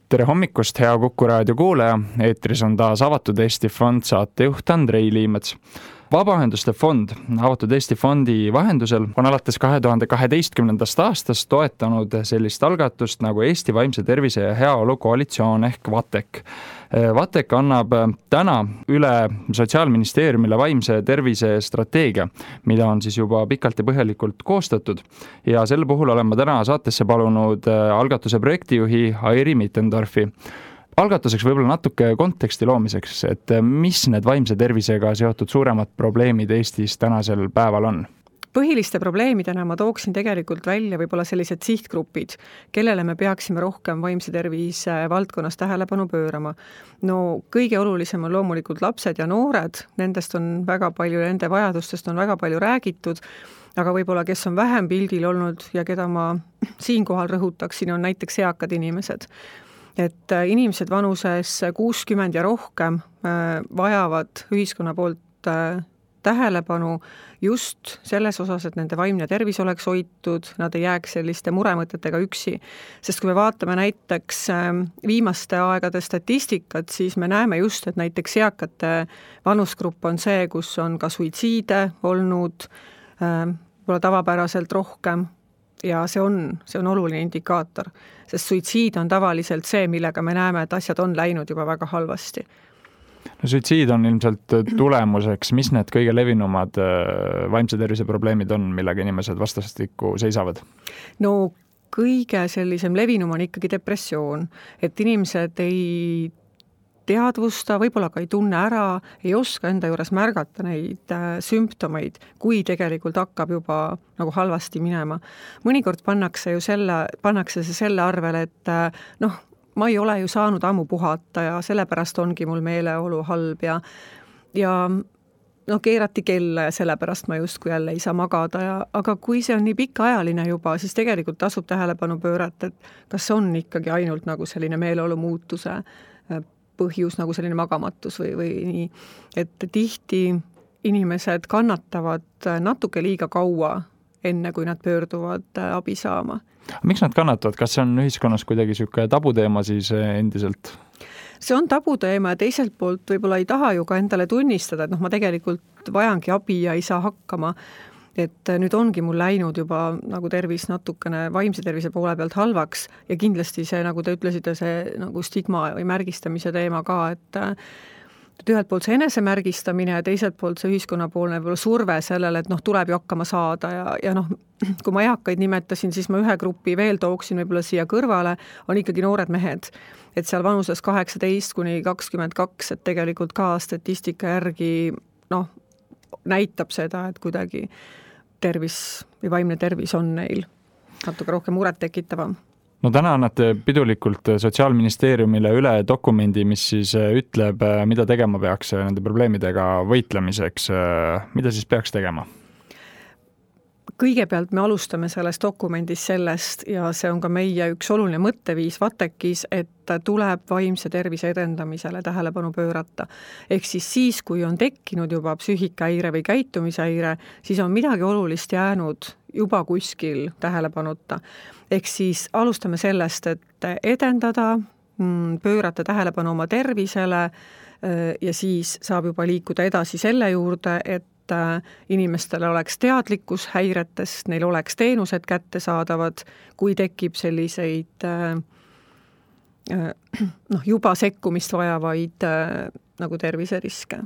Tere hommikust, hea Kuku raadio kuulaja! Eetris on taas Avatud Eesti Fond saatejuht Andrei Liimets. Vabaühenduste fond Avatud Eesti Fondi vahendusel on alates 2012. aastast toetanud sellist algatust nagu Eesti Vaimse Tervise ja Heaolu Koalitsioon ehk VATEK. VATEK annab täna üle Sotsiaalministeeriumile vaimse tervise strateegia, mida on siis juba pikalt ja põhjalikult koostatud. Ja selle puhul olen ma täna saatesse palunud algatuse projektijuhi Airi Mittendorfi. Algatuseks võib-olla natuke konteksti loomiseks, et mis need vaimse tervisega seotud suuremad probleemid Eestis tänasel päeval on? Põhiliste probleemidena ma tooksin tegelikult välja võib-olla sellised sihtgrupid, kellele me peaksime rohkem vaimse tervise valdkonnas tähelepanu pöörama. No kõige olulisem on loomulikult lapsed ja noored, nendest on väga palju, nende vajadustest on väga palju räägitud, aga võib-olla kes on vähem pildil olnud ja keda ma siinkohal rõhutaksin, on näiteks eakad inimesed. Et inimesed vanuses 60 ja rohkem vajavad ühiskonna poolt tähelepanu just selles osas, et nende vaimne tervis oleks hoitud, nad ei jääks selliste muremõtetega üksi. Sest kui me vaatame näiteks viimaste aegade statistikat, siis me näeme just, et näiteks eakate vanusgrupp on see, kus on ka suitsiide olnud võib-olla tavapäraselt rohkem. Ja see on oluline indikaator, sest suitsiid on tavaliselt see, millega me näeme, et asjad on läinud juba väga halvasti. No, suitsiid on ilmselt tulemuseks, mis need kõige levinumad vaimse tervise probleemid on, millega inimesed vastastikku seisavad? No kõige sellisem levinum on ikkagi depressioon, et inimesed ei teadvusta, võib-olla ka ei tunne ära, ei oska enda juures märgata neid sümptomeid, kui tegelikult hakkab juba nagu halvasti minema. Mõnikord pannakse see selle arvele, et ma ei ole ju saanud ammu puhata ja sellepärast ongi mul meeleolu halb ja keerati kella ja sellepärast ma justkui jälle ei saa magada. Aga kui see on nii pikaajaline juba, siis tegelikult tasub tähelepanu pöörata, et kas on ikkagi ainult nagu selline meeleolu muutuse põhjus nagu selline magamatus või nii, et tihti inimesed kannatavad natuke liiga kaua, enne kui nad pöörduvad abi saama. Miks nad kannatavad? Kas see on ühiskonnas kuidagi selline tabuteema siis endiselt? See on tabuteema ja teiselt poolt võib-olla ei taha ju ka endale tunnistada, et ma tegelikult vajangi abi ja ei saa hakkama. Et nüüd ongi mul läinud juba nagu tervis natukene vaimse tervise poole pealt halvaks ja kindlasti see, nagu te ütlesite, see nagu stigma või märgistamise teema ka, et ühelt poolt see enesemärgistamine ja teiselt poolt see ühiskonnapoolne surve sellele, et tuleb ju hakkama saada ja kui ma eakaid nimetasin, siis ma ühe grupi veel tooksin võib-olla siia kõrvale, on ikkagi noored mehed, et seal vanuses 18 kuni 22, et tegelikult ka statistika järgi näitab seda, et kuidagi tervis või vaimne tervis on neil natuke rohkem muret tekitavam. No täna annate pidulikult Sotsiaalministeeriumile üle dokumendi, mis siis ütleb, mida tegema peaks nende probleemidega võitlemiseks. Mida siis peaks tegema? Kõigepealt me alustame sellest dokumendis sellest ja see on ka meie üks oluline mõtteviis VATEKis, et tuleb vaimse tervise edendamisele tähelepanu pöörata. Ehk siis, kui on tekkinud juba psüühikahäire või käitumishäire, siis on midagi olulist jäänud juba kuskil tähelepanuta. Ehk siis alustame sellest, et edendada, pöörata tähelepanu oma tervisele ja siis saab juba liikuda edasi selle juurde, et inimestele oleks teadlikkus häiretest, neil oleks teenused kättesaadavad, kui tekib selliseid juba sekkumist vajavaid nagu terviseriske.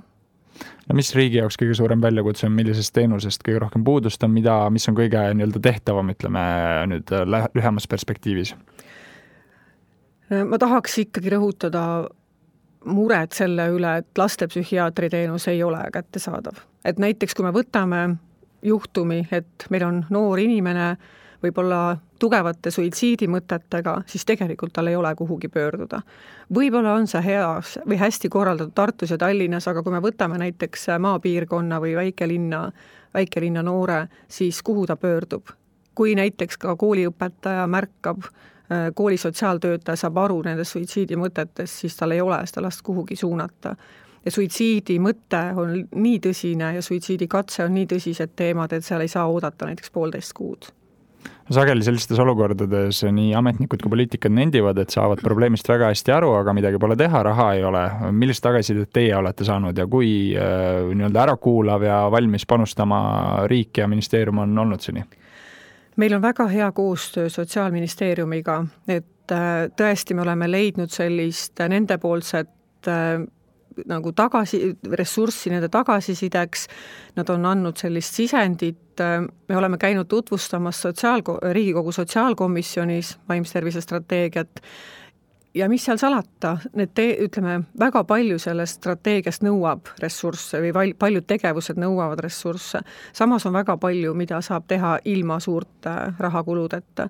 No mis riigi jaoks kõige suurem väljakutse on, millisest teenusest kõige rohkem puudust on, mis on kõige tehtavam, ütleme nüüd lühemas perspektiivis? Ma tahaks ikkagi rõhutada mured selle üle, et lastepsühhiaatri teenus ei ole kättesaadav. Et näiteks kui me võtame juhtumi, et meil on noor inimene võib-olla tugevate suitsiidimõtetega, siis tegelikult tal ei ole kuhugi pöörduda. Võib-olla on see hea või hästi korraldatud Tartus ja Tallinnas, aga kui me võtame näiteks maapiirkonna või väikelinna noore, siis kuhu ta pöördub? Kui näiteks ka kooliõpetaja märkab, kooli sotsiaaltöötaja saab aru nendest suitsiidimõtetest, siis tal ei ole seda last kuhugi suunata. Ja suitsiidi mõte on nii tõsine ja suitsiidikatse on nii tõsised teemad, et seal ei saa oodata näiteks 1,5 kuud. Sageli sellistes olukordades nii ametnikud kui poliitikad nendivad, et saavad probleemist väga hästi aru, aga midagi pole teha, raha ei ole. Millist tagasisidet teie olete saanud ja kui nii-öelda ärakuulav ja valmis panustama riik ja ministeerium on olnud seni? Meil on väga hea koostöö Sotsiaalministeeriumiga, et tõesti me oleme leidnud sellist nendepoolset nagu ressurssi nende tagasisideks, nad on andnud sellist sisendit, me oleme käinud tutvustamas Riigikogu sotsiaalkomisjonis vaimse tervise strateegiat ja mis seal salata, ütleme, väga palju sellest strateegiast nõuab ressursse või paljud tegevused nõuavad ressursse. Samas on väga palju, mida saab teha ilma suurte rahakuludeta.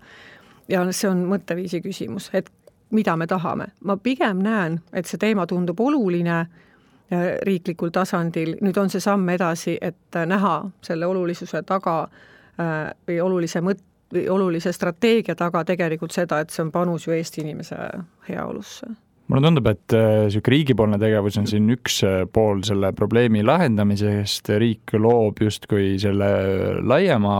Ja see on mõtteviisi küsimus, et mida me tahame. Ma pigem näen, et see teema tundub oluline riiklikul tasandil. Nüüd on see samm edasi, et näha selle olulisuse taga või olulise strateegia taga tegelikult seda, et see on panus ju Eesti inimese heaolusse. Mulle tundub, et riigipoolne tegevus on siin üks pool selle probleemi lahendamisest. Riik loob justkui selle laiema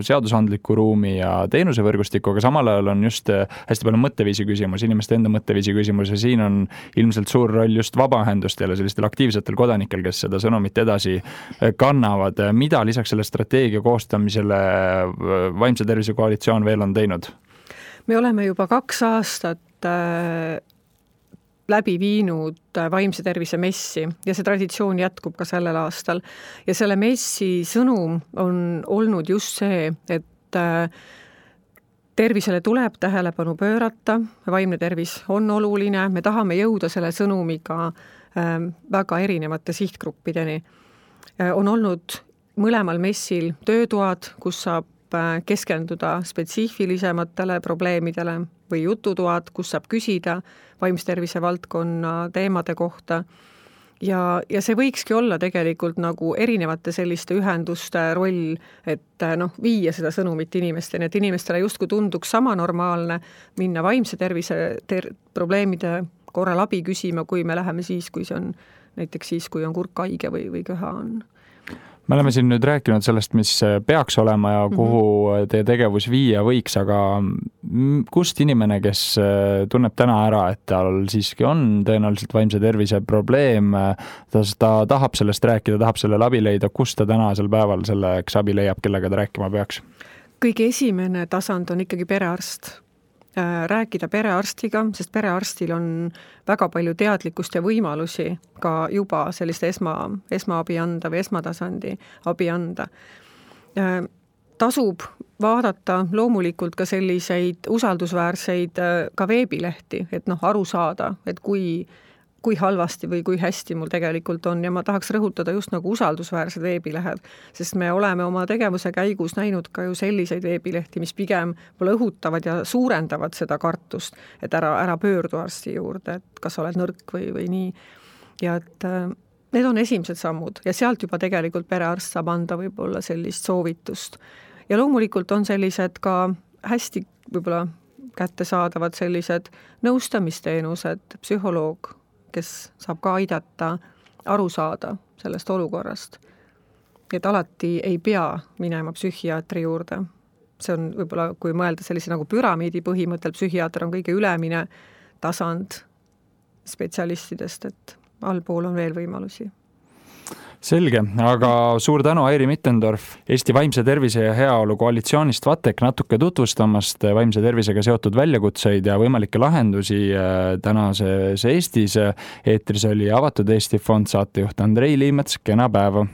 seadusandliku ruumi ja teenusevõrgustiku, aga samal ajal on just hästi palju mõtteviisi küsimus, inimeste enda mõtteviisi küsimus ja siin on ilmselt suur roll just vabaühendustel ja sellistel aktiivsetel kodanikel, kes seda sõnumit edasi kannavad. Mida lisaks selle strateegia koostamisele Vaimse tervise koalitsioon veel on teinud? Me oleme juba 2 aastat läbi viinud vaimse tervise messi ja see traditsioon jätkub ka sellel aastal. Ja selle messi sõnum on olnud just see, et tervisele tuleb tähelepanu pöörata, vaimne tervis on oluline, me tahame jõuda selle sõnumiga väga erinevate sihtgruppideni. On olnud mõlemal messil töötoad, kus saab keskenduda spetsiifilisematele probleemidele või jututoad, kus saab küsida vaimse tervise valdkonna teemade kohta. Ja see võikski olla tegelikult nagu erinevate selliste ühenduste roll, et viia seda sõnumit inimesteni, et inimestele justkui tunduks sama normaalne minna vaimse tervise probleemide korral abi küsima, kui me läheme siis, kui see on näiteks siis, kui on kurk haige või köha on. Me oleme siin nüüd rääkinud sellest, mis peaks olema ja kuhu teie tegevus viia võiks, aga kust inimene, kes tunneb täna ära, et tal siiski on tõenäoliselt vaimse tervise probleem, ta tahab sellest rääkida, tahab sellele abi leida, kust ta tänasel päeval selleks abi leiab, kellega ta rääkima peaks? Kõige esimene tasand on ikkagi perearst. Rääkida perearstiga, sest perearstil on väga palju teadlikkust ja võimalusi ka juba sellist esmaabi anda või esmatasandi abi anda. Tasub vaadata loomulikult ka selliseid usaldusväärseid ka veebilehti, et aru saada, et kui halvasti või kui hästi mul tegelikult on ja ma tahaks rõhutada just nagu usaldusväärsed veebilehed, sest me oleme oma tegevuse käigus näinud ka ju selliseid veebilehti, mis pigem õhutavad ja suurendavad seda kartust, et ära pöördu arsti juurde, et kas oled nõrk või nii. Ja et need on esimesed sammud ja sealt juba tegelikult perearst saab anda võib-olla sellist soovitust. Ja loomulikult on sellised ka hästi võib-olla kättesaadavad sellised nõustamisteenused, psühholoog, kes saab ka aidata aru saada sellest olukorrast. Et alati ei pea minema psühhiaatri juurde. See on võib-olla, kui mõelda sellise nagu püramiidi põhimõttel, psühhiaater on kõige ülemine tasand spetsialistidest, et allpool on veel võimalusi. Selge, aga suur tänu Airi Mittendorf Eesti Vaimse tervise ja heaolu koalitsioonist VATEK natuke tutvustamast vaimse tervisega seotud väljakutseid ja võimalikke lahendusi tänases Eestis. Eetris oli Avatud Eesti Fond saatejuht Andrei Liimets, kena päeva!